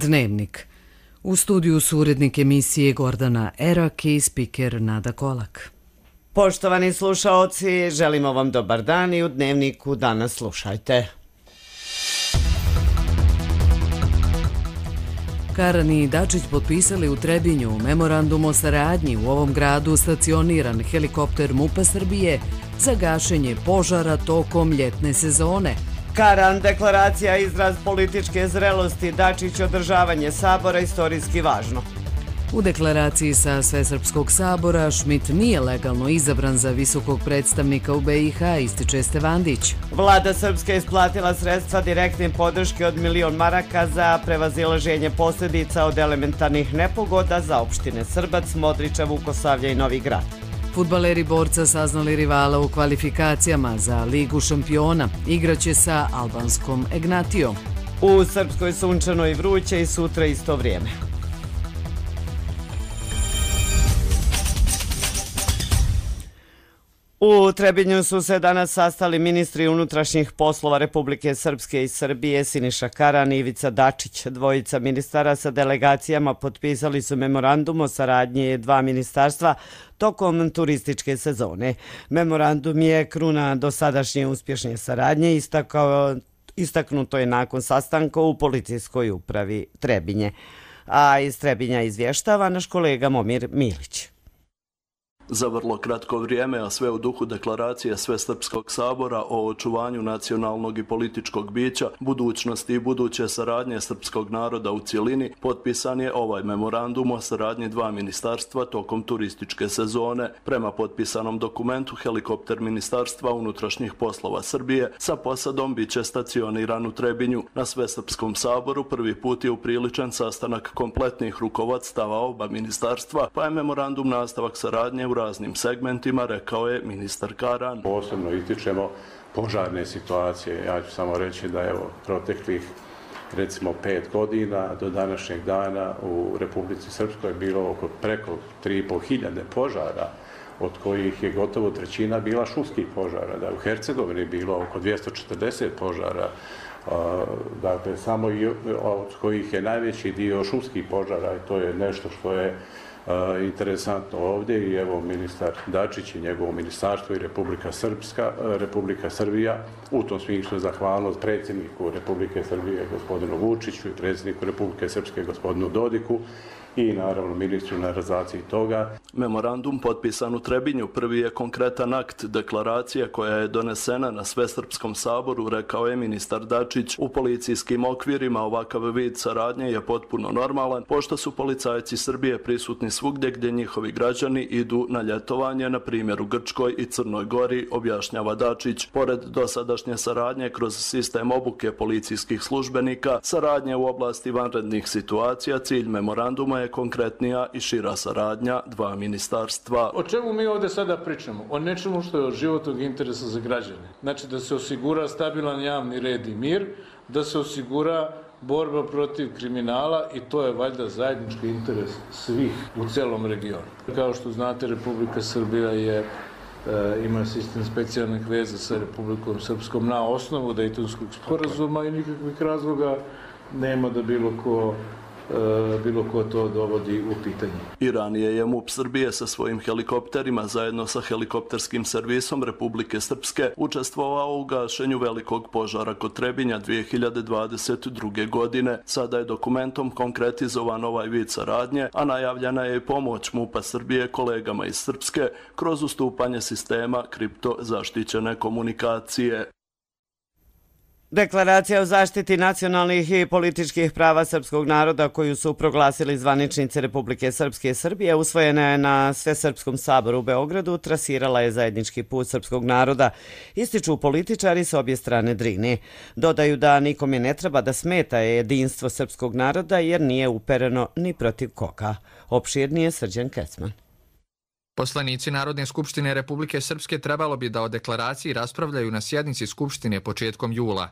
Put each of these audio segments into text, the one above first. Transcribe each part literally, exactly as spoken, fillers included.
Dnevnik. U studiju su urednik emisije Gordana Erak i spiker Nada Kolak. Poštovani slušaoci, želimo vam dobar dan i u Dnevniku danas slušajte. Karan i Dačić potpisali u Trebinju memorandum o saradnji u ovom gradu stacioniran helikopter MUP-a Srbije za gašenje požara tokom ljetne sezone. Karan, deklaracija izraz političke zrelosti, Dačić održavanje sabora istorijski važno. U deklaraciji sa Svesrpskog sabora Šmit nije legalno izabran za visokog predstavnika u be i ha, ističe Stevandić. Vlada Srpska isplatila sredstva direktne podrške od milion maraka za prevazilaženje posljedica od elementarnih nepogoda za opštine Srbac, Modriča, Vukosavlja i Novi Grad. Fudbaleri Borca saznali rivala u kvalifikacijama za Ligu šampiona. Igraće sa albanskom Egnatijom. U Srpskoj sunčano i vruće i sutra isto vrijeme. U Trebinju su se danas sastali ministri unutrašnjih poslova Republike Srpske i Srbije Siniša Karan i Ivica Dačić. Dvojica ministara sa delegacijama potpisali su memorandum o saradnji dva ministarstva tokom turističke sezone. Memorandum je kruna dosadašnje uspješne saradnje, istakao, istaknuto je nakon sastanka u policijskoj upravi Trebinje. A iz Trebinja izvještava naš kolega Momir Milić. Za vrlo kratko vrijeme, a sve u duhu deklaracije Svesrpskog sabora o očuvanju nacionalnog i političkog bića, budućnosti i buduće saradnje srpskog naroda u cjelini, potpisan je ovaj memorandum o saradnji dva ministarstva tokom turističke sezone. Prema potpisanom dokumentu, helikopter Ministarstva unutrašnjih poslova Srbije sa posadom biće stacioniran u Trebinju. Na Svesrpskom saboru prvi put je upriličen sastanak kompletnih rukovodstava oba ministarstva, pa je memorandum nastavak saradnje u raznim segmentima, rekao je ministar Karan. Posebno ističemo požarne situacije. Ja ću samo reći da evo proteklih recimo pet godina do današnjeg dana u Republici Srpskoj je bilo oko preko tri i pol hiljade požara, od kojih je gotovo trećina bila šumskih požara. Da u Hercegovini je bilo oko dvjesto četrdeset požara, dakle samo od kojih je najveći dio šumskih požara i to je nešto što je Uh, interesantno ovdje i evo ministar Dačić i njegovo ministarstvo i Republika Srpska, uh, Republika Srbija, u tom smislu zahvalnost predsjedniku Republike Srbije gospodinu Vučiću i predsjedniku Republike Srpske gospodinu Dodiku i naravno ministru na realizaciji toga. Memorandum potpisan u Trebinju prvi je konkretan akt deklaracije koja je donesena na Svesrpskom saboru, rekao je ministar Dačić. U policijskim okvirima ovakav vid saradnje je potpuno normalan, pošto su policajci Srbije prisutni svugdje gdje njihovi građani idu na ljetovanje, na primjer u Grčkoj i Crnoj Gori, objašnjava Dačić. Pored dosadašnje saradnje kroz sistem obuke policijskih službenika, saradnje u oblasti vanrednih situacija, cilj memoranduma je konkretnija i šira saradnja dva ministarstva. O čemu mi ovdje sada pričamo? O nečemu što je od životnog interesa za građane. Znači da se osigura stabilan javni red i mir, da se osigura borba protiv kriminala i to je valjda zajednički interes svih u celom regionu. Kao što znate, Republika Srbija je ima sistem specijalnih veza sa Republikom Srpskom na osnovu Dejtonskog sporazuma i nikakvih razloga nema da bilo ko bilo ko to dovodi u pitanje. I ranije je MUP Srbije sa svojim helikopterima zajedno sa helikopterskim servisom Republike Srpske učestvovao u gašenju velikog požara kod Trebinja dvije hiljade dvadeset druge. godine. Sada je dokumentom konkretizovan ovaj vid saradnje, a najavljena je i pomoć MUP-a Srbije kolegama iz Srpske kroz ustupanje sistema kripto zaštićene komunikacije. Deklaracija o zaštiti nacionalnih i političkih prava srpskog naroda koju su proglasili zvaničnici Republike Srpske i Srbije usvojena je na Svesrpskom saboru u Beogradu, trasirala je zajednički put srpskog naroda, ističu političari s obje strane Drine. Dodaju da nikome ne treba da smeta jedinstvo srpskog naroda jer nije upereno ni protiv koga. Opširnije Srđan Kecman. Poslanici Narodne skupštine Republike Srpske trebalo bi da o deklaraciji raspravljaju na sjednici Skupštine početkom jula.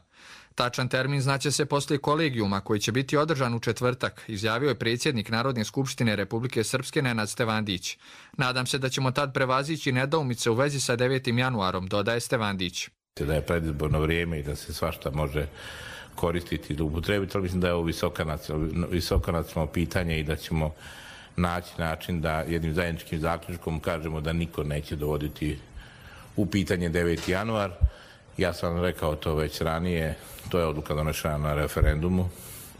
Tačan termin znaće se poslije kolegijuma koji će biti održan u četvrtak, izjavio je predsjednik Narodne skupštine Republike Srpske Nenad Stevandić. Nadam se da ćemo tad prevazići nedoumice u vezi sa devetim januarom, dodaje Stevandić. Da je predizborno vrijeme i da se svašta može koristiti ili upotrebiti, ali mislim da je ovo visoko nacionalno pitanje i da ćemo naći način da jednim zajedničkim zaključkom kažemo da niko neće dovoditi u pitanje deveti januar. Ja sam rekao to već ranije, to je odluka donošena na referendumu.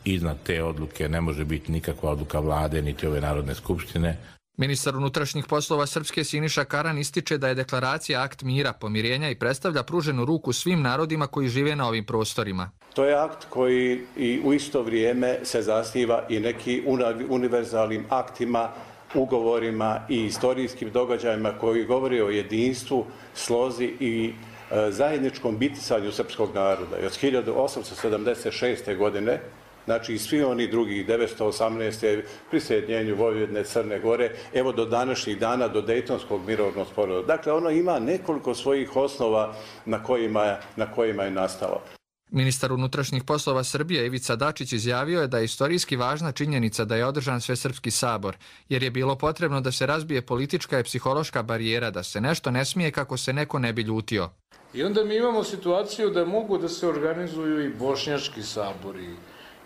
Iznad te odluke ne može biti nikakva odluka vlade niti ove Narodne skupštine. Ministar unutrašnjih poslova Srpske Siniša Karan ističe da je deklaracija akt mira, pomirenja i predstavlja pruženu ruku svim narodima koji žive na ovim prostorima. To je akt koji i u isto vrijeme se zasniva i neki univerzalnim aktima, ugovorima i istorijskim događajima koji govore o jedinstvu, slozi i e, zajedničkom bitisanju srpskog naroda. I od hiljadu osamsto sedamdeset šeste. godine, znači i svi oni drugih devetsto osamnaeste. prisjedinjenju Vojvodine, Crne Gore, evo do današnjih dana, do Dejtonskog mirovnog sporazuma. Dakle, ono ima nekoliko svojih osnova na kojima, na kojima je nastalo. Ministar unutrašnjih poslova Srbije Ivica Dačić izjavio je da je istorijski važna činjenica da je održan Svesrpski sabor, jer je bilo potrebno da se razbije politička i psihološka barijera, da se nešto ne smije kako se neko ne bi ljutio. I onda mi imamo situaciju da mogu da se organizuju i bošnjački sabori,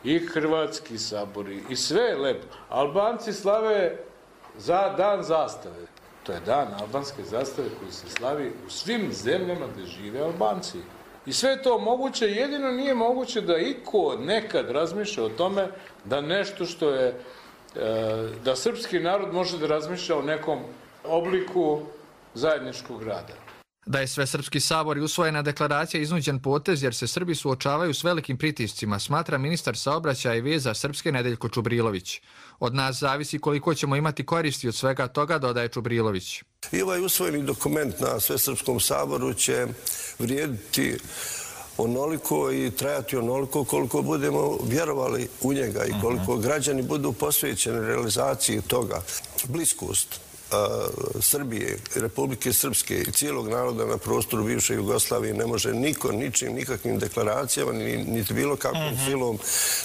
i hrvatski sabori, i sve je lepo. Albanci slave za dan zastave. To je dan albanske zastave koji se slavi u svim zemljama gdje žive Albanci. I sve je to moguće, jedino nije moguće da iko nekad razmišlja o tome da nešto što je, da srpski narod može da razmišlja o nekom obliku zajedničkog rada. Da je Svesrpski sabor i usvojena deklaracija iznuđen potez jer se Srbi suočavaju s velikim pritiscima, smatra ministar saobraćaja i veza Srpske Nedeljko Čubrilović. Od nas zavisi koliko ćemo imati koristi od svega toga, dodaje Čubrilović. I ovaj usvojeni dokument na Svesrpskom saboru će vrijediti onoliko i trajati onoliko koliko budemo vjerovali u njega i koliko građani budu posvećeni realizaciji toga. Bliskost Srbije, Republike Srpske i cijelog naroda na prostoru bivše Jugoslavije ne može niko, ničim, nikakvim deklaracijama, niti bilo kakvom silom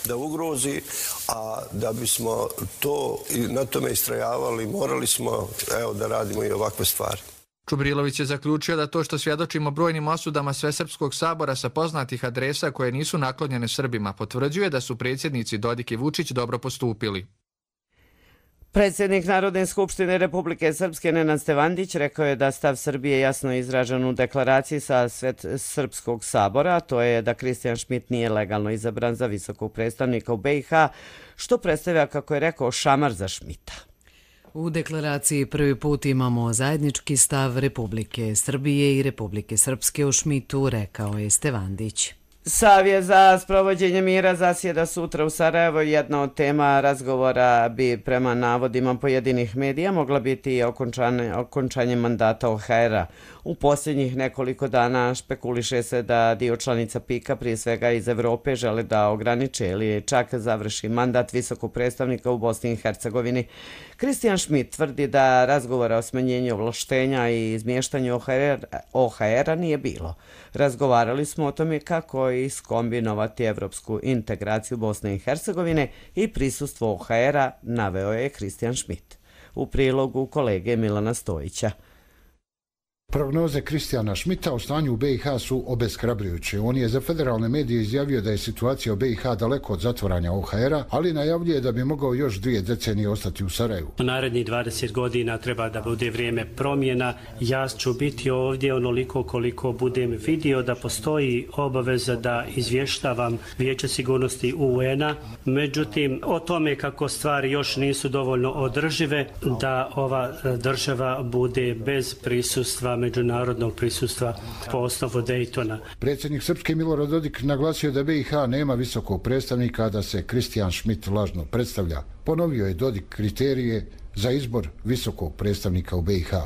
da ugrozi, a da bismo to i na tome istrajavali, morali smo evo, da radimo i ovakve stvari. Čubrilović je zaključio da to što svjedočimo brojnim osudama Svesrpskog sabora sa poznatih adresa koje nisu naklonjene Srbima potvrđuje da su predsjednici Dodik i Vučić dobro postupili. Predsjednik Narodne skupštine Republike Srpske Nenad Stevandić rekao je da stav Srbije jasno izražen u deklaraciji sa Svesrpskog sabora, to je da Kristijan Šmit nije legalno izabran za visokog predstavnika u B i H, što predstavlja, kako je rekao, šamar za Šmita. U deklaraciji prvi put imamo zajednički stav Republike Srbije i Republike Srpske u Šmitu, rekao je Stevandić. Savjet za sprovođenje mira zasjeda sutra u Sarajevo. Jedna od tema razgovora bi prema navodima pojedinih medija mogla biti i okončanje, okončanje mandata O H R-a. U posljednjih nekoliko dana špekuliše se da dio članica pika, prije svega iz Evrope, žele da ograniče ili čak završi mandat visokog predstavnika u Bosni i Hercegovini. Kristijan Šmit tvrdi da razgovora o smanjenju ovlaštenja i izmještanju O H R-a nije bilo. Razgovarali smo o tome kako iskombinovati evropsku integraciju Bosne i Hercegovine i prisustvo O H R-a, naveo je Kristijan Šmit. U prilogu kolege Milana Stojića. Prognoze Kristijana Šmita o stanju u B i H su obeshrabrujuće. On je za federalne medije izjavio da je situacija u B i H daleko od zatvaranja O H R-a, ali najavljuje da bi mogao još dvije decenije ostati u Sarajevu. U narednih dvadeset godina treba da bude vrijeme promjena. Ja ću biti ovdje onoliko koliko budem vidio da postoji obaveza da izvještavam Vijeće sigurnosti U N-a. Međutim, o tome kako stvari još nisu dovoljno održive, da ova država bude bez prisustva međunarodnog prisustva po osnovu Dejtona. Predsjednik Srpske Milorad Dodik naglasio da B i H nema visokog predstavnika, da se Kristijan Šmit lažno predstavlja. Ponovio je Dodik kriterije za izbor visokog predstavnika u B i H.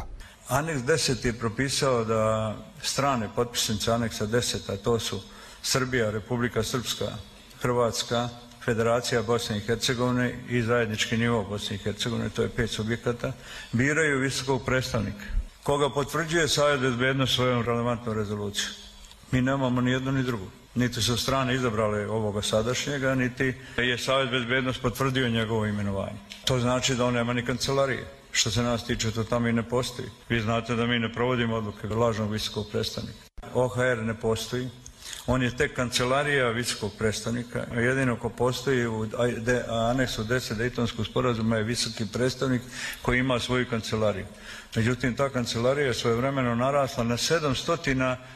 Aneks deset je propisao da strane potpisnice aneksa deset, a to su Srbija, Republika Srpska, Hrvatska, Federacija Bosne i Hercegovine i zajednički nivo Bosne i Hercegovine, to je pet subjekata, biraju visokog predstavnika, koga potvrđuje Savjet bezbednosti svojom relevantnom rezolucijom. Mi nemamo ni jedno ni drugo. Niti su strane izabrale ovoga sadašnjega, niti je Savjet bezbednosti potvrdio njegovo imenovanje. To znači da on nema ni kancelarije. Što se nas tiče, to tamo i ne postoji. Vi znate da mi ne provodimo odluke lažnog visokog predstavnika. O H R ne postoji. On je tek kancelarija visokog predstavnika. Jedino ko postoji u aneksu deset Dejtonskog sporazuma je visoki predstavnik koji ima svoju kancelariju. Međutim, ta kancelarija je svojevremeno narasla na sedamsto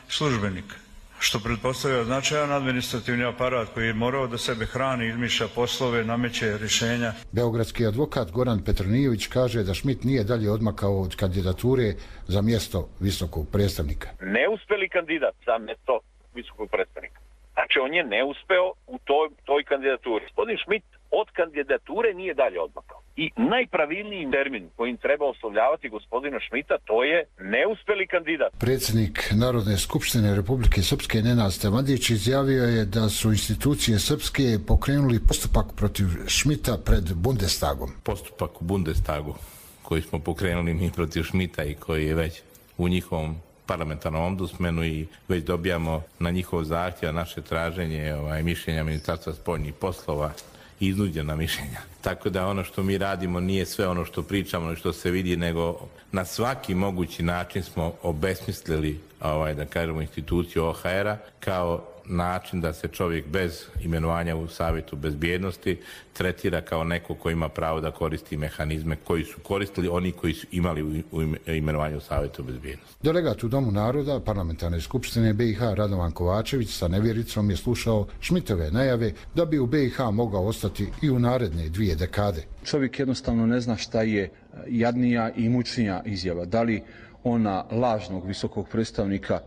službenika, što pretpostavlja značajan administrativni aparat koji je morao da sebe hrani, izmišlja poslove, nameće rješenja. Beogradski advokat Goran Petronijević kaže da Schmidt nije dalje odmakao od kandidature za mjesto visokog predstavnika. Neuspeli kandidat za mjesto visokog predstavnika. Znači, on je neuspeo u toj, toj kandidaturi. Gospodin Schmidt od kandidature nije dalje odmakao. I najpravilniji termin kojim treba oslovljavati gospodina Schmidta, to je neuspeli kandidat. Predsjednik Narodne skupštine Republike Srpske Nenad Stevandić izjavio je da su institucije srpske pokrenuli postupak protiv Schmidta pred Bundestagom. Postupak u Bundestagu koji smo pokrenuli mi protiv Schmidta i koji je već u njihovom parlamentarnom ombudsmanu i već dobijamo na njihov zahtjev naše traženje ovaj, mišljenja Ministarstva spoljnih poslova i iznuđena mišljenja. Tako da ono što mi radimo nije sve ono što pričamo i što se vidi, nego na svaki mogući način smo obesmislili, ovaj, da kažemo, instituciju O H R-a kao način da se čovjek bez imenovanja u Savjetu bezbjednosti tretira kao neko ko ima pravo da koristi mehanizme koji su koristili oni koji su imali u imenovanju u Savjetu bezbjednosti. Delegat u Domu naroda Parlamentarne skupštine B i H Radovan Kovačević sa nevjericom je slušao Schmidtove najave da bi u B i H mogao ostati i u naredne dvije dekade. Čovjek jednostavno ne zna šta je jadnija i mučnija izjava. Da li ona lažnog visokog predstavnika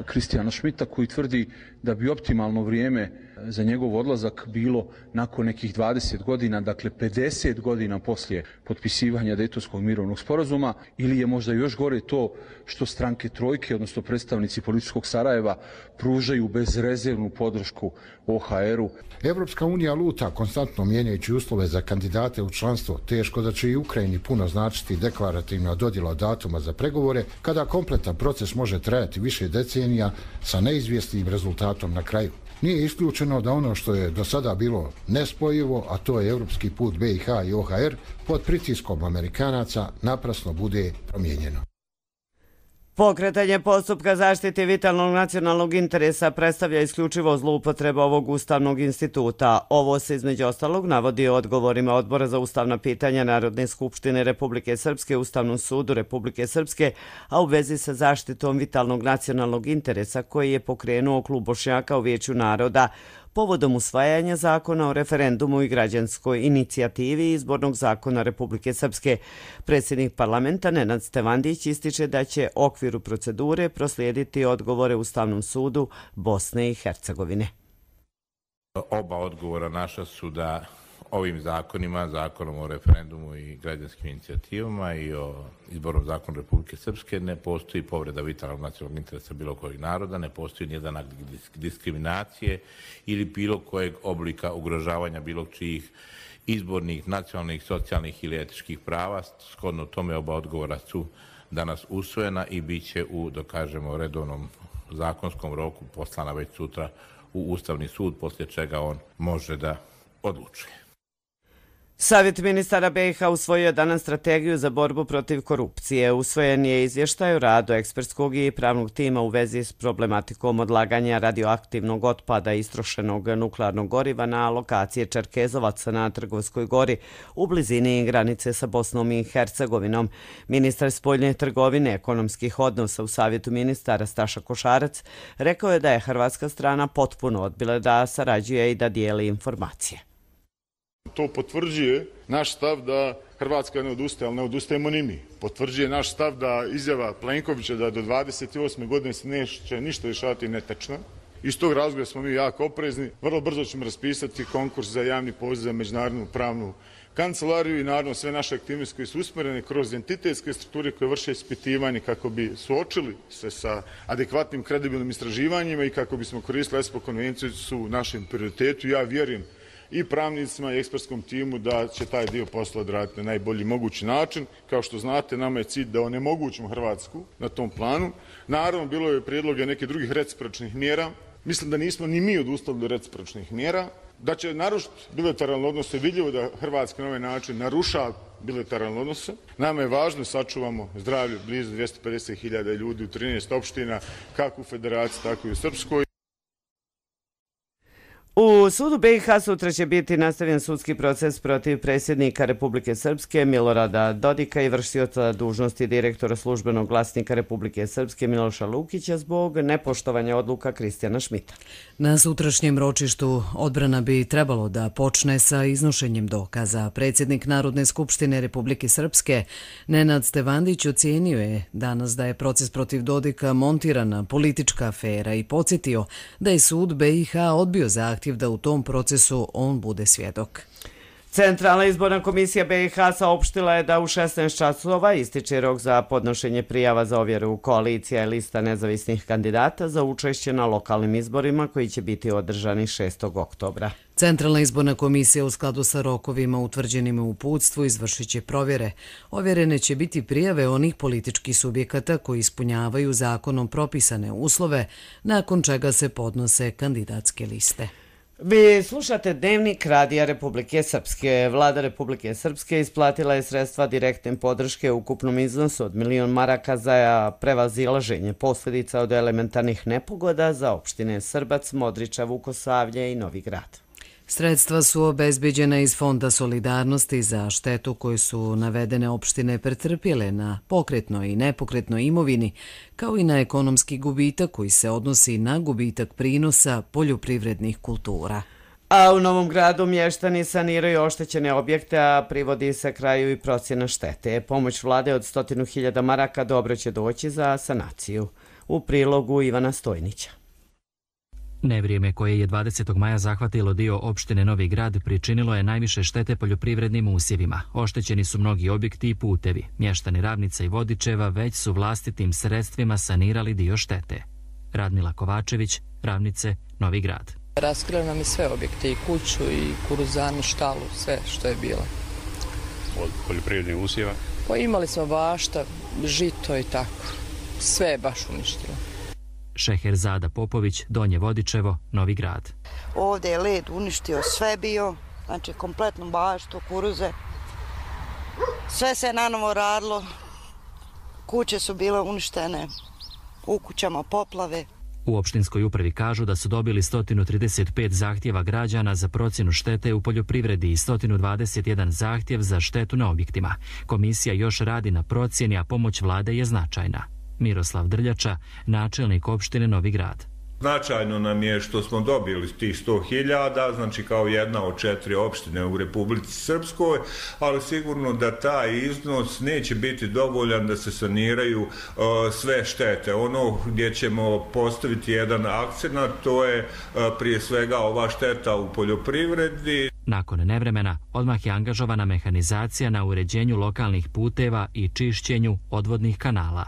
Kristijana Schmidta koji tvrdi da bi optimalno vrijeme za njegov odlazak bilo nakon nekih dvadeset godina, dakle pedeset godina poslije potpisivanja Dejtonskog mirovnog sporazuma, ili je možda još gore to što stranke trojke, odnosno predstavnici političkog Sarajeva, pružaju bezrezervnu podršku O H R-u. Evropska unija luta konstantno mijenjajući uslove za kandidate u članstvo. Teško da će i Ukrajini puno značiti deklarativna dodjela datuma za pregovore, kada kompletan proces može trajati više decenija sa neizvjesnim rezultatom na kraju. Nije isključeno da ono što je do sada bilo nespojivo, a to je evropski put B i H i O H R, pod pritiskom Amerikanaca naprasno bude promijenjeno. Pokretanje postupka zaštite vitalnog nacionalnog interesa predstavlja isključivo zloupotreba ovog ustavnog instituta. Ovo se između ostalog navodi u odgovorima Odbora za ustavna pitanja Narodne skupštine Republike Srpske Ustavnom sudu Republike Srpske, a u vezi sa zaštitom vitalnog nacionalnog interesa koji je pokrenuo Klub Bošnjaka u Vijeću naroda povodom usvajanja zakona o referendumu i građanskoj inicijativi i izbornog zakona Republike Srpske. Predsjednik parlamenta Nenad Stevandić ističe da će u okviru procedure proslijediti odgovore Ustavnom sudu Bosne i Hercegovine. Oba odgovora naša su da ovim zakonima, zakonom o referendumu i građanskim inicijativama i o izbornom zakonu Republike Srpske ne postoji povreda vitalnog nacionalnog interesa bilo kojeg naroda, ne postoji nijedan akt diskriminacije ili bilo kojeg oblika ugrožavanja bilo čijih izbornih, nacionalnih, socijalnih ili etičkih prava. Shodno tome oba odgovora su danas usvojena i bit će u, dokažemo, redovnom zakonskom roku poslana već sutra u Ustavni sud, poslije čega on može da odlučuje. Savjet ministara B i H usvojio danas strategiju za borbu protiv korupcije. Usvojen je izvještaj o radu ekspertskog i pravnog tima u vezi s problematikom odlaganja radioaktivnog otpada i istrošenog nuklearnog goriva na lokaciji Čerkezovac na Trgovskoj gori u blizini granice sa Bosnom i Hercegovinom. Ministar spoljne trgovine ekonomskih odnosa u Savjetu ministara Staša Košarac rekao je da je hrvatska strana potpuno odbila da sarađuje i da dijeli informacije. To potvrđuje naš stav da Hrvatska ne odustaje, ali ne odustajemo ni mi. Potvrđuje naš stav da izjava Plenkovića da do dvadeset osme godine se neće ništa rješavati netečna. Iz tog razloga smo mi jako oprezni. Vrlo brzo ćemo raspisati konkurs za javni poziv za međunarodnu pravnu kancelariju i naravno sve naše aktivnosti koje su usmjerene kroz entitetske strukture koje vrše ispitivanje kako bi suočili se sa adekvatnim kredibilnim istraživanjima i kako bismo koristili ESPO konvenciju su u našem prioritetu. Ja vjerujem i pravnicima i ekspertskom timu da će taj dio posla odraditi na najbolji mogući način. Kao što znate, nama je cilj da onemogućimo Hrvatsku na tom planu. Naravno, bilo je prijedloge nekih drugih recipročnih mjera. Mislim da nismo ni mi odustali do recipročnih mjera. Da će narušiti bilateralne odnose, vidljivo da Hrvatska na ovaj način narušava bilateralne odnose. Nama je važno da sačuvamo zdravlje blizu dvjesto pedeset hiljada ljudi u trinaest opština, kako u Federaciji, tako i u Srpskoj. U sudu be i ha sutra će biti nastavljen sudski proces protiv predsjednika Republike Srpske Milorada Dodika i vršioca dužnosti direktora službenog glasnika Republike Srpske Miloša Lukića zbog nepoštovanja odluka Kristijana Šmita. Na sutrašnjem ročištu odbrana bi trebalo da počne sa iznošenjem dokaza. Predsjednik Narodne skupštine Republike Srpske Nenad Stevandić ocijenio je danas da je proces protiv Dodika montirana politička afera i podsjetio da je sud be i ha odbio zahtjev da u tom procesu on bude svjedok. Centralna izborna komisija be i ha saopštila je da u šesnaest časova ističe rok za podnošenje prijava za ovjeru koalicija i lista nezavisnih kandidata za učešće na lokalnim izborima koji će biti održani šestog oktobra. Centralna izborna komisija u skladu sa rokovima utvrđenim u uputstvu izvršit će provjere. Ovjerene će biti prijave onih političkih subjekata koji ispunjavaju zakonom propisane uslove, nakon čega se podnose kandidatske liste. Vi slušate Dnevnik Radija Republike Srpske. Vlada Republike Srpske isplatila je sredstva direktne podrške u ukupnom iznosu od milion maraka za prevazilaženje posljedica od elementarnih nepogoda za opštine Srbac, Modriča, Vukosavlje i Novi Grad. Sredstva su obezbeđena iz Fonda solidarnosti za štetu koju su navedene opštine pretrpjele na pokretnoj i nepokretnoj imovini, kao i na ekonomski gubitak koji se odnosi na gubitak prinosa poljoprivrednih kultura. A u Novom Gradu mještani saniraju oštećene objekte, a privodi se kraju i procjena štete. Pomoć vlade od stotinu hiljada maraka dobro će doći za sanaciju. U prilogu Ivana Stojnića. Nevrijeme koje je dvadesetog maja zahvatilo dio opštine Novi Grad pričinilo je najviše štete poljoprivrednim usjevima. Oštećeni su mnogi objekti i putevi. Mještani Ravnica i Vodičeva već su vlastitim sredstvima sanirali dio štete. Radmila Kovačević, Ravnice, Novi Grad. Raskrili nam i sve objekte, i kuću, i kuruzanu, štalu, sve što je bilo. Od poljoprivrednih usjeva? Pa imali smo bašta, žito i tako. Sve je baš uništilo. Šeherzada Popović, Donje Vodičevo, Novi Grad. Ovdje je led uništio sve bio, znači kompletnu baštu, kuruze. Sve se je nanovo radilo, kuće su bile uništene, u kućama poplave. U opštinskoj upravi kažu da su dobili sto trideset pet zahtjeva građana za procjenu štete u poljoprivredi i sto dvadeset jedan zahtjev za štetu na objektima. Komisija još radi na procjeni, a pomoć vlade je značajna. Miroslav Drljača, načelnik opštine Novi Grad. Značajno nam je što smo dobili tih sto hiljada, znači kao jedna od četiri opštine u Republici Srpskoj, ali sigurno da taj iznos neće biti dovoljan da se saniraju uh, sve štete. Ono gdje ćemo postaviti jedan akcenat, to je uh, prije svega ova šteta u poljoprivredi. Nakon nevremena, odmah je angažovana mehanizacija na uređenju lokalnih puteva i čišćenju odvodnih kanala.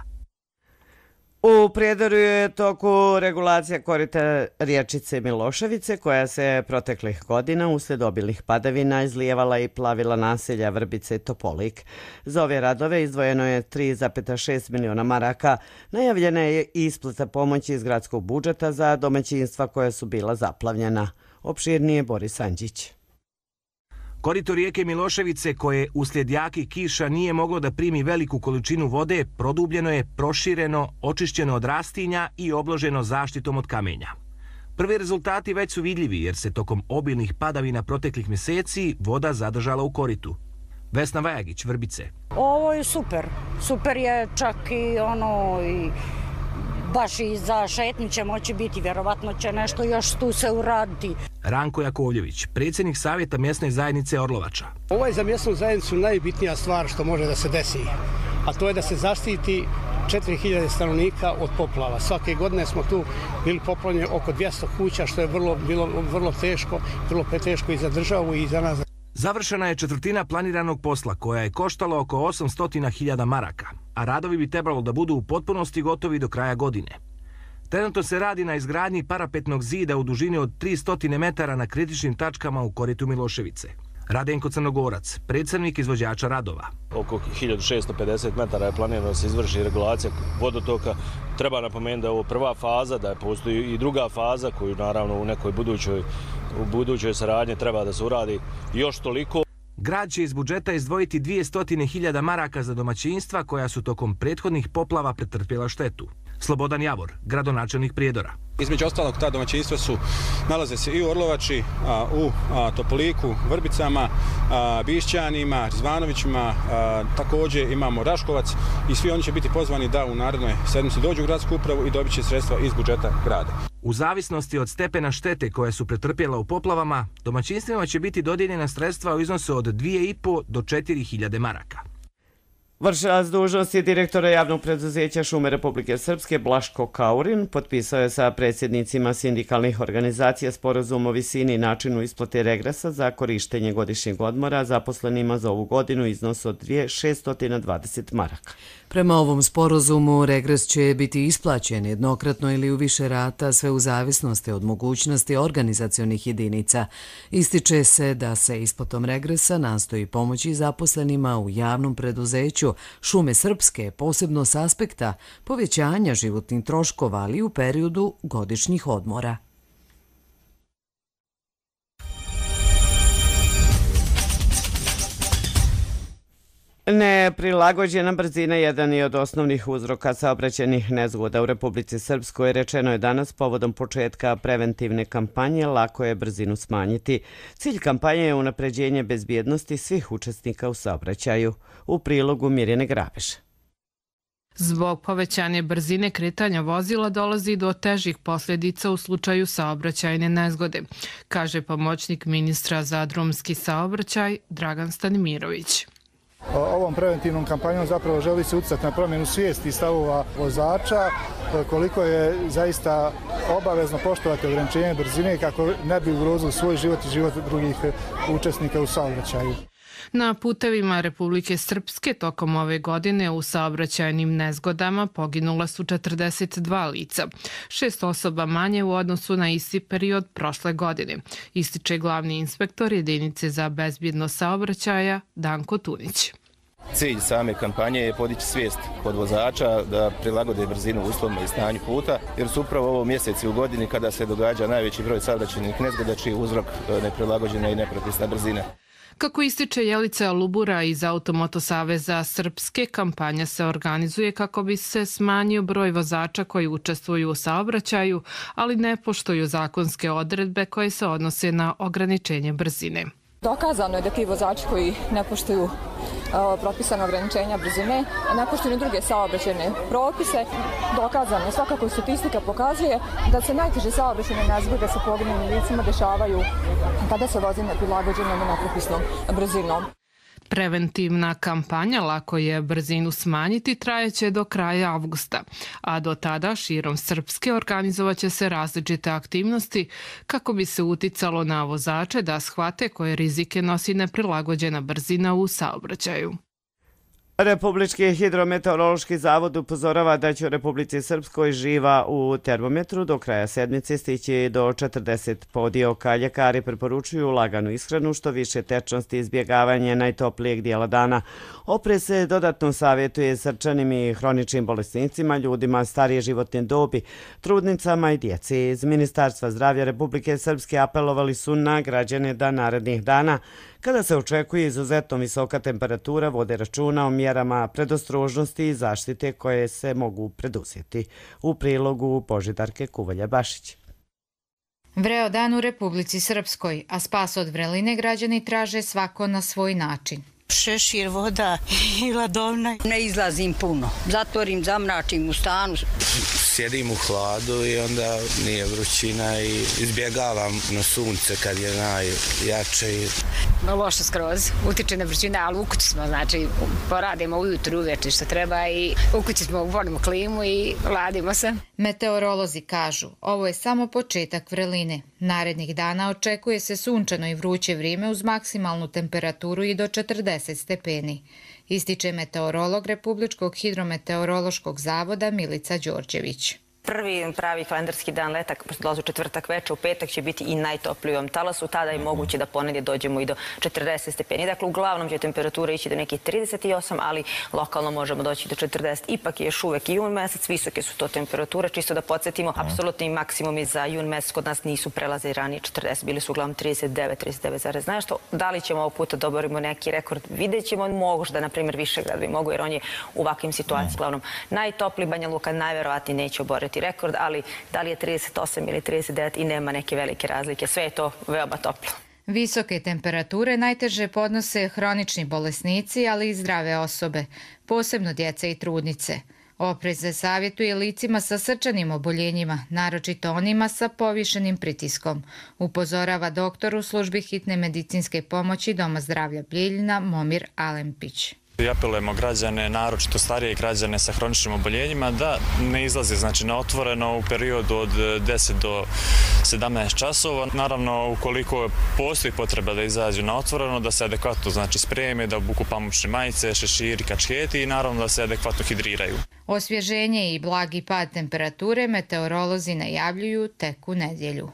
U Prijedoru je toku regulacija korita riječice Miloševice, koja se proteklih godina uslijed obilnih padavina izlijevala i plavila naselja Vrbice i Topolik. Za ove radove izdvojeno je tri zarez šest miliona maraka. Najavljena je isplata pomoći iz gradskog budžeta za domaćinstva koja su bila zaplavljena. Opširnije Boris Anđić. Korito rijeke Miloševice, koje uslijed jakih kiša nije moglo da primi veliku količinu vode, produbljeno je, prošireno, očišćeno od rastinja i obloženo zaštitom od kamenja. Prvi rezultati već su vidljivi jer se tokom obilnih padavina proteklih mjeseci voda zadržala u koritu. Vesna Vajagić, Vrbice. Ovo je super. Super je čak i ono i baš i za šetnju će moći biti, vjerovatno će nešto još tu se uraditi. Ranko Jakovljević, predsjednik Savjeta mjesne zajednice Orlovača. Ovo je za mjesnu zajednicu najbitnija stvar što može da se desi, a to je da se zaštiti četiri hiljade stanovnika od poplava. Svake godine smo tu bili poplavljeni oko dvjesto kuća, što je vrlo, bilo vrlo teško, vrlo teško i za državu i za nas. Završena je četvrtina planiranog posla koja je koštala oko osamsto hiljada maraka, a radovi bi trebalo da budu u potpunosti gotovi do kraja godine. Trenutno se radi na izgradnji parapetnog zida u dužini od tristo metara na kritičnim tačkama u koritu Miloševice. Radenko Crnogorac, predstavnik izvođača radova. Oko hiljadu šesto pedeset metara je planirano da se izvrši regulacija vodotoka. Treba napomenuti da je ovo prva faza, da je postoji i druga faza koju naravno u nekoj budućoj, u budućoj saradnji treba da se uradi još toliko. Grad će iz budžeta izdvojiti dvjesto hiljada maraka za domaćinstva koja su tokom prethodnih poplava pretrpjela štetu. Slobodan Javor, gradonačelnik Prijedora. Između ostalog, ta domaćinstva su, nalaze se i u Orlovači, a, u a, Topoliku, Vrbicama, a, Bišćanima, Zvanovićima, a, također imamo Raškovac i svi oni će biti pozvani da u narednoj sedmici dođu u gradsku upravu i dobit će sredstva iz budžeta grada. U zavisnosti od stepena štete koje su pretrpjela u poplavama, domaćinstvima će biti dodijeljena sredstva u iznosu od dvije i po do četiri hiljade maraka. Vršilac dužnosti direktora javnog preduzeća Šume Republike Srpske Blaško Kaurin potpisao je sa predsjednicima sindikalnih organizacija sporazum o visini i načinu isplate regresa za korištenje godišnjeg odmora zaposlenima za ovu godinu iznos od dvije hiljade šeststo dvadeset maraka. Prema ovom sporazumu regres će biti isplaćen jednokratno ili u više rata, sve u zavisnosti od mogućnosti organizacionih jedinica. Ističe se da se isplatom regresa nastoji pomoći zaposlenima u javnom preduzeću Šume Srpske, posebno s aspekta povećanja životnih troškova, ali u periodu godišnjih odmora. Neprilagođena brzina jedan je od osnovnih uzroka saobraćajnih nezgoda u Republici Srpskoj. Rečeno je danas povodom početka preventivne kampanje Lako je brzinu smanjiti. Cilj kampanje je unapređenje bezbjednosti svih učesnika u saobraćaju. U prilogu Mirjane Grabež. Zbog povećanja brzine kretanja vozila dolazi do težih posljedica u slučaju saobraćajne nezgode, kaže pomoćnik ministra za drumski saobraćaj Dragan Stanimirović. Ovom preventivnom kampanjom zapravo želi se utjecati na promjenu svijesti i stavova vozača, koliko je zaista obavezno poštovati ograničenje brzine kako ne bi ugrozili svoj život i život drugih učesnika u saobraćaju. Na putevima Republike Srpske tokom ove godine u saobraćajnim nezgodama poginula su četrdeset dva lica, šest osoba manje u odnosu na isti period prošle godine, ističe glavni inspektor jedinice za bezbjednost saobraćaja Danko Tunić. Cilj same kampanje je podići svijest kod vozača da prilagode brzinu uslovima i stanju puta, jer su upravo ovo mjeseci u godini kada se događa najveći broj saobraćajnih nezgoda čiji je uzrok neprilagođena i nepropisna brzina. Kako ističe Jelica Lubura iz Automoto saveza Srpske, kampanja se organizuje kako bi se smanjio broj vozača koji učestvuju u saobraćaju, ali ne poštuju zakonske odredbe koje se odnose na ograničenje brzine. Dokazano je da ti vozači koji ne poštuju propisane ograničenja brzine, ne poštuju druge saobraćajne propise. Dokazano je, svakako statistika pokazuje da se najteže saobraćajne nezgode sa poginulim licima dešavaju kada se vozi neprilagođenom i nepropisnom brzinom. Preventivna kampanja Lako je brzinu smanjiti trajeće do kraja avgusta, a do tada širom Srpske organizovaće se različite aktivnosti kako bi se uticalo na vozače da shvate koje rizike nosi neprilagođena brzina u saobraćaju. Republički hidrometeorološki zavod upozorava da će u Republici Srpskoj živa u termometru do kraja sedmice stići do četrdeset podioka. Ljekari preporučuju laganu ishranu, što više tečnosti i izbjegavanje najtoplijeg dijela dana. Oprez se dodatno savjetuje srčanim i hroničnim bolesnicima, ljudima starije životne dobi, trudnicama i djeci. Iz Ministarstva zdravlja Republike Srpske apelovali su na građane da narednih dana, kada se očekuje izuzetno visoka temperatura, vode računa o mjerama predostrožnosti i zaštite koje se mogu preduzeti. U prilogu Božidarke Kuvalja-Bašić. Vreo dan u Republici Srpskoj, a spas od vreline građani traže svako na svoj način. Šešir, voda i ladovna. Ne izlazim puno, zatvorim, zamračim u stanu. Sjedim u hladu i onda nije vrućina i izbjegavam na sunce kad je najjače. Loše skroz, utiče na vrućina, ali u kući smo, znači poradimo ujutru, uveče što treba i u kući smo, volimo klimu i ladimo se. Meteorolozi kažu, ovo je samo početak vreline. Narednih dana očekuje se sunčano i vruće vrijeme uz maksimalnu temperaturu i do četrdeset stepeni, ističe meteorolog Republičkog hidrometeorološkog zavoda Milica Đorđević. prvi pravi kalendarski dan leta, pošto dolazi u četvrtak veče, u petak će biti i najtopliji u ovom talasu, tada je moguće da ponedje dođemo i do četrdeset stepeni. Dakle, uglavnom će temperatura ići do nekih trideset osam, ali lokalno možemo doći do četrdeset. Ipak je još uvek jun mesec, visoke su to temperature. Čisto da podsjetimo, apsolutni maksimumi za jun mesec kod nas nisu prelaze ranije četrdeset, bili su uglavnom trideset devet, trideset devet zarez nešto. Da li ćemo ovog puta da oborimo neki rekord? Vidjet ćemo, možda, na primjer, Višegrad bi mogu, jer on je u ovakvim situacijama. Uglavnom, najtopli Banja Luka najverovatnije neće oboriti rekord, ali da li je trideset osam ili trideset devet i nema neke velike razlike. Sve je to veoma toplo. Visoke temperature najteže podnose hronični bolesnici, ali i zdrave osobe, posebno djeca i trudnice. Oprez se savjetuje licima sa srčanim oboljenjima, naročito onima sa povišenim pritiskom, upozorava doktor u službi hitne medicinske pomoći Doma zdravlja Bijeljina Momir Alempić. I apelujemo građane, naročito starije građane sa hroničnim oboljenjima, da ne izlaze znači, na otvoreno u periodu od deset do sedamnaest časova. Naravno, ukoliko postoji potreba da izađu na otvoreno, da se adekvatno znači, spreme, da obuku pamučne majice, šeširi, kačketi i naravno da se adekvatno hidriraju. Osvježenje i blagi pad temperature meteorolozi najavljuju tek u nedjelju.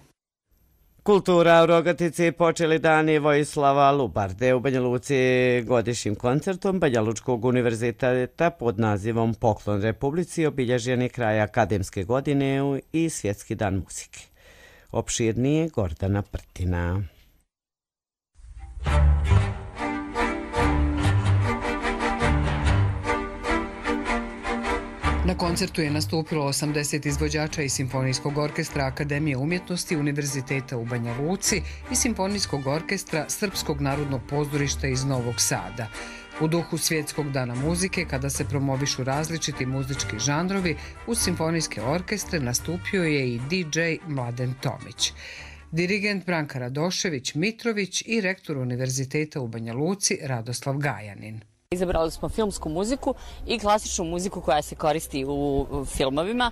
Kultura u Rogatici počeli dani Vojislava Lubarde u Banja Luci godišnjim koncertom Banja Lučkog univerziteta pod nazivom Poklon Republici, obilježeni kraj akademske godine i Svjetski dan muzike. Opširnije Gordana Prtina. Na koncertu je nastupilo osamdeset izvođača iz Simfonijskog orkestra Akademije umjetnosti Univerziteta u Banja Luci i Simfonijskog orkestra Srpskog narodnog pozorišta iz Novog Sada. U duhu Svjetskog dana muzike, kada se promovišu različiti muzički žanrovi, uz simfonijske orkestre nastupio je i D J Mladen Tomić. Dirigent Branka Radošević Mitrović i rektor Univerziteta u Banja Luci Radoslav Gajanin. Izabrali smo filmsku muziku i klasičnu muziku koja se koristi u filmovima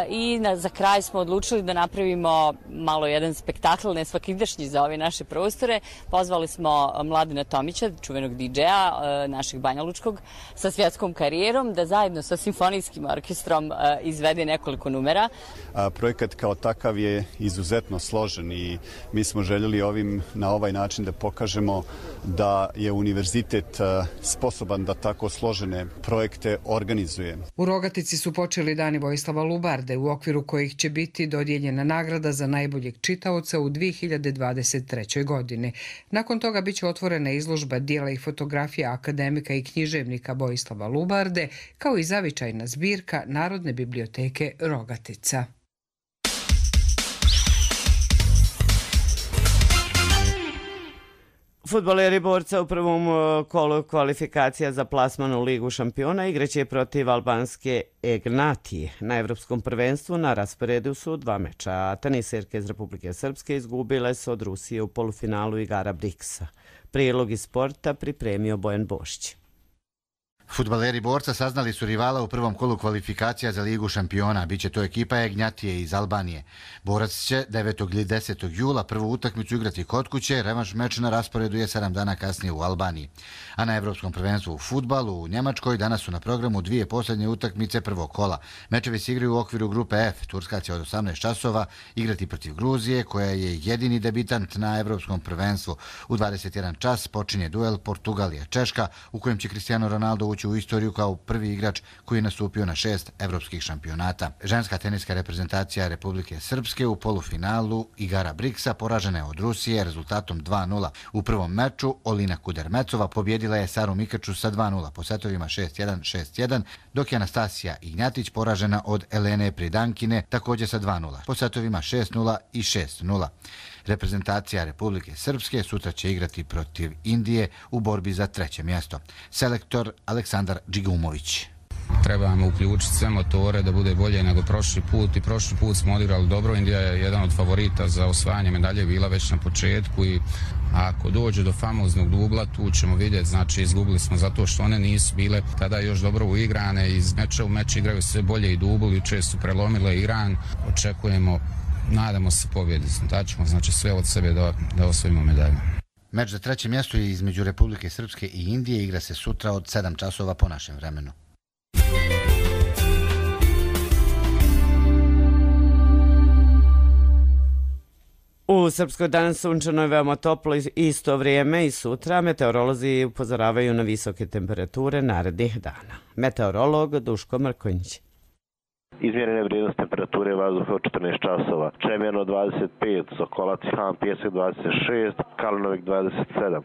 i za kraj smo odlučili da napravimo malo jedan spektakl nesvakidašnji za ove naše prostore. Pozvali smo Mladena Tomića, čuvenog D J-a našeg banjalučkog, sa svjetskom karijerom, da zajedno sa simfonijskim orkestrom izvede nekoliko numera. Projekat kao takav je izuzetno složen i mi smo željeli ovim na ovaj način da pokažemo da je univerzitet sposoban sposoban da tako složene projekte organizuje. U Rogatici su počeli dani Vojislava Lubarde, u okviru kojih će biti dodijeljena nagrada za najboljeg čitaoca u dvije hiljade dvadeset trećoj. godini. Nakon toga biće otvorena izložba dijela i fotografija akademika i književnika Vojislava Lubarde, kao i zavičajna zbirka Narodne biblioteke Rogatica. Fudbaleri Borca u prvom kolu kvalifikacija za plasman u Ligu šampiona igraće protiv albanske Egnatije. Na evropskom prvenstvu na rasporedu su dva meča, a teniserke iz Republike Srpske izgubile su od Rusije u polufinalu igara Briksa. Prilog iz sporta pripremio Bojan Bošić. Fudbaleri Borca saznali su rivala u prvom kolu kvalifikacija za Ligu šampiona. Biće to ekipa Egnjatije iz Albanije. Borac će devetog ili desetog jula prvu utakmicu igrati kod kuće, revanš meč na rasporedu je sedam dana kasnije u Albaniji. A na evropskom prvenstvu u fudbalu u Njemačkoj danas su na programu dvije posljednje utakmice prvog kola. Mečevi se igraju u okviru grupe F. Turska će od osamnaest časova igrati protiv Gruzije, koja je jedini debitant na evropskom prvenstvu. U dvadeset jedan čas počinje duel Portugalija-Češka, u kojem će Cristiano Ronaldo ući u istoriju kao prvi igrač koji je nastupio na šest evropskih šampionata. Ženska teniska reprezentacija Republike Srpske u polufinalu igara Briksa poražena je od Rusije rezultatom dva nula. U prvom meču Olina Kudermecova pobjedila je Saru Mikaču sa dva nula po setovima šest jedan šest jedan, dok je Anastasija Ignjatić poražena od Elene Pridankine također sa dva nula po setovima šest nula i šest nula. Reprezentacija Republike Srpske sutra će igrati protiv Indije u borbi za treće mjesto. Selektor Aleksandar Džigumović. Trebamo uključiti sve motore da bude bolje nego prošli put i prošli put smo odigrali dobro. Indija je jedan od favorita za osvajanje medalje, bila već na početku i ako dođe do famoznog dubla tu ćemo vidjeti, znači izgubili smo zato što one nisu bile tada još dobro uigrane, iz meča u meč igraju sve bolje i dubli i često prelomile Iran. Očekujemo, nadamo se pobjedi, daćemo znači sve od sebe da, da osvojimo medalju. Meč za treće mjesto je između Republike Srpske i Indije, igra se sutra od sedam časova po našem vremenu. U Srpskoj danas sunčano je veoma toplo isto vrijeme i sutra meteorolozi upozoravaju na visoke temperature narednih dana. Meteorolog Duško Mrkonjić. Izmjerene vrijednost temperature vazduha od četrnaest časova. Čemerno dvadeset pet, Sokolac i Han Pjesak dvadeset šest, Kalinovik dvadeset sedam,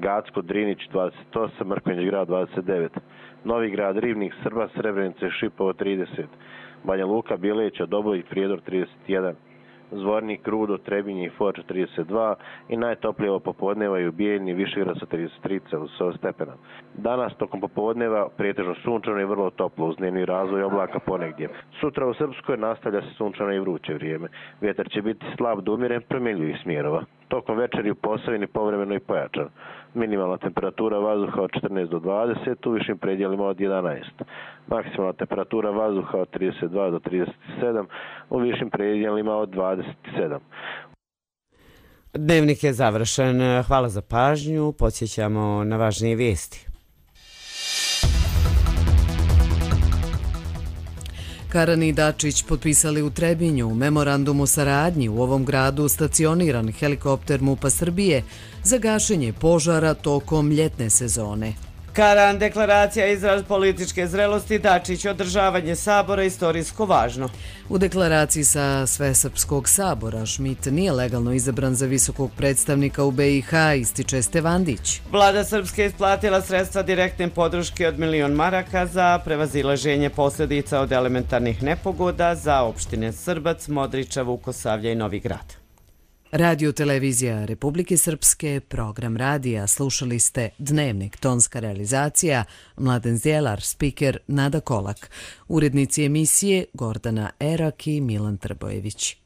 Gacko Drinić dvadeset osam, Mrkonjić grad dvadeset devet, Novi grad, Ribnik, Srba, Srebrenica i Šipovo trideset, Banja Luka, Bileća, Doboj i Prijedor trideset jedan, Zvornik, Rudo, Trebinje i Foča trideset dva i najtoplije ovo popodneva i u Bijeljni Višegrad sa trideset tri stepena. Danas tokom popodneva pretežno sunčano i vrlo toplo uz dnevni razvoj oblaka ponegdje. Sutra u Srpskoj nastavlja se sunčano i vruće vrijeme. Vjetar će biti slab do umjeren promjenljivih smjerova. Tokom večeri u Posavini povremeno i pojačan. Minimalna temperatura vazduha od četrnaest do dvadeset, u višim predjelima od jedanaest. Maksimalna temperatura vazduha od trideset dva do trideset sedam, u višim predjelima od dvadeset sedam. Dnevnik je završen. Hvala za pažnju. Podsjećamo na važnije vijesti. Karan i Dačić potpisali u Trebinju memorandum o saradnji u ovom gradu stacioniran helikopter MUP-a Srbije za gašenje požara tokom ljetne sezone. Karan, deklaracija izraz političke zrelosti, Dačić, održavanje sabora istorijsko važno. U deklaraciji sa Svesrpskog sabora Šmit nije legalno izabran za visokog predstavnika u B i H, ističe Stevandić. Vlada Srpske isplatila sredstva direktne podrške od milion maraka za prevazilaženje posljedica od elementarnih nepogoda za opštine Srbac, Modriča, Vukosavlja i Novi Grad. Radio televizija Republike Srpske, program radija, slušali ste Dnevnik, tonska realizacija, Mladen Zjelar, spiker Nada Kolak, urednici emisije Gordana Erak i Milan Trbojević.